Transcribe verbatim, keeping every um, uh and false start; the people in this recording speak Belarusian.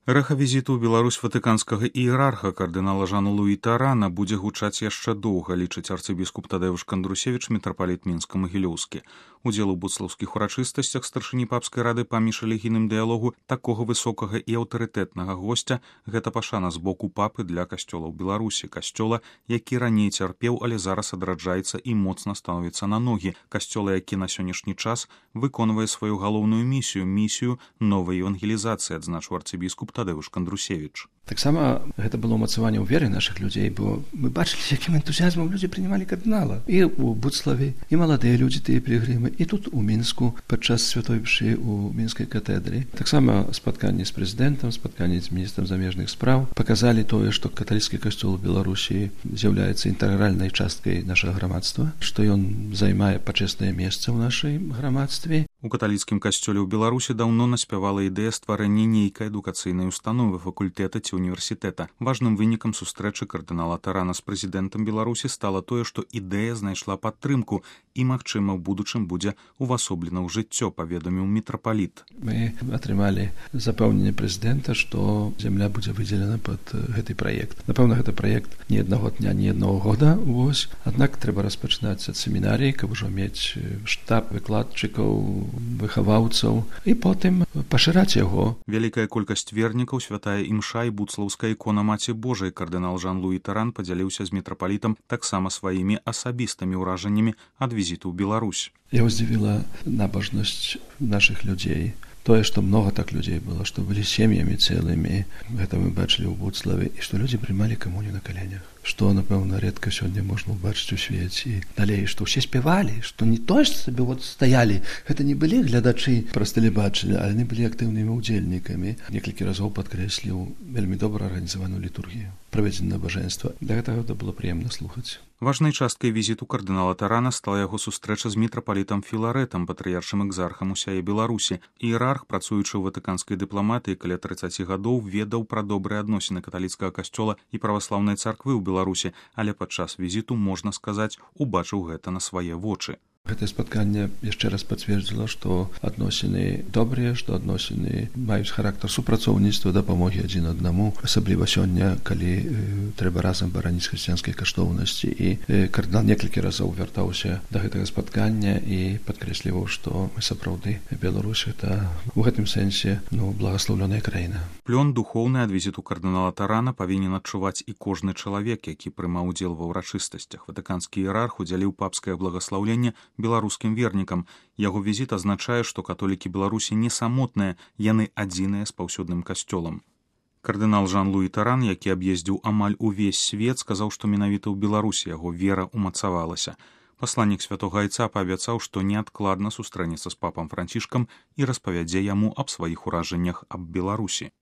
Рэха візіту ў Беларусь ватыканскага іерарха кардынала Жана-Луі Тарана будзе гучаць яшчэ доўга, лічыць арцыбіскуп Тадэўш Кандрусевіч, мітрапаліт Мінска-Магілёўскі. Удзел у буцлаўскіх урачыстасцях старшыні папскай рады па міжрэлігійным дыялогу такога высокага і аўтарытэтнага госця гэта пашана з боку папы для касцёла ў Беларусі, касцёла, які раней цярпеў, але зараз адраджаецца і моцна становіцца на ногі, касцёла, які на сённяшні час выконвае сваю галоўную місію, місію новай евангелізацыі, адзначыў арцыбіскуп Тадэўш Кандрусевіч. Таксама гэта было ўмацаванне ў веры нашых людзей, бо мы бачылі, якім энтузіязмам людзі прынімалі кардынала. І ў Буцлаве, і маладыя людзі, тыя пілігрымы, і тут у Мінску падчас святой мшы ў мінскай катэдры. Таксама спатканні з прэзідэнтам, спатканні з міністрам замежных спраў паказалі тое, што каталіцкі касцёл у Беларусі з'яўляецца інтэгральнай часткай нашага грамадства, што ён займае пачэснае месца ў нашай грамадстве. У каталіцкім касцёле ў Беларусі даўно наспявала ідэя стварэння нейкай адукацыйнай установы, факультэта ці універсітэта. Важным вынікам сустрэчы кардынала Тарана з прэзідэнтам Беларусі стала тое, што ідэя знайшла падтрымку і, магчыма, ў будучым будзе увасоблена ў жыццё, паведаміў мітрапаліт. Мы атрымалі запэўненне прэзідэнта, што зямля будзе выдзелена пад гэты праект. Напэўна, гэта праект ні аднаго дня, ні аднаго года, вось. Аднак трэба распачынаць ад семінарыі, каб ужо мець штаб выкладчыкаў, выхаваўцаў і потым пашыраць яго. Вялікая колькасць вернікаў, святая імша і буцлаўская ікона Маці Божай. Кардынал Жан-Луі Таран падзяліўся з мітрапалітам таксама сваімі асабістымі ўражаннямі ад візіту ў Беларусь. Я ўздзівіла набожнасць нашых людзей. Тое, што многа так людзей было, што былі сем'ямі цэлымі, гэта мы бачылі ў Буцлаве, і што людзі прымалі камунію на каленях. Што, напэўна, рэдка сёння можна ўбачыць у свеце. Далей, што ўсе спявалі, што не то ж сабе вот стаялі. Гэта не былі глядачы праз тэлебачання, але не былі актыўнымі ўдзельнікамі. Некалькі разоў падкрэсліў вельмі добра арганізаваную літургію, праведзенае набажэнства. Для гэтага гэта было прыемна слухаць. Важнай часткай візіту кардынала Тарана стала яго сустрэча з мітрапалітам Філарэтам, патрыяршым экзархам усяе Беларусі. Іерарх, працуючы ў ватыканскай дыпламатыі каля трыццаці гадоў, ведаў пра добрыя адносіны каталіцкага касцёла і праваслаўнай царквы ў Беларусі, але падчас візіту, можна сказаць, убачыў гэта на свае вочы. Гэтае спатканне яшчэ раз пацвердзіла, што адносіны добрыя, што адносіны маюць характар супрацоўніцтва, дапамогі адзін аднаму, асабліва сёння, калі э, трэба разам бараніць хрысціянскай каштоўнасці. І э, кардынал некалькі разоў вяртаўся да гэтага спаткання і падкрэсліваў, што мы сапраўды Беларусь гэта у гэтым сэнсе ну, благаслоўленая краіна. Плён духоўны ад візіту кардынала Тарана павінен адчуваць і кожны чалавек, які прымаў удзел ва ўрачыстасцях. Ватыканскі іерарх удзяліў папскае благаслаўленне беларускім вернікам. Яго візіт азначае, што католікі Беларусі не самотныя, яны адзіныя з паўсюдным касцёлам. Кардынал Жан-Луі Таран, які аб'ездзіў амаль увесь свет, сказаў, што менавіта ў Беларусі яго вера умацавалася. Пасланнік святога айца паабяцаў, што неадкладна сустрэнецца з папам Францішкам і распавядзе яму аб сваіх уражаннях аб Беларусі.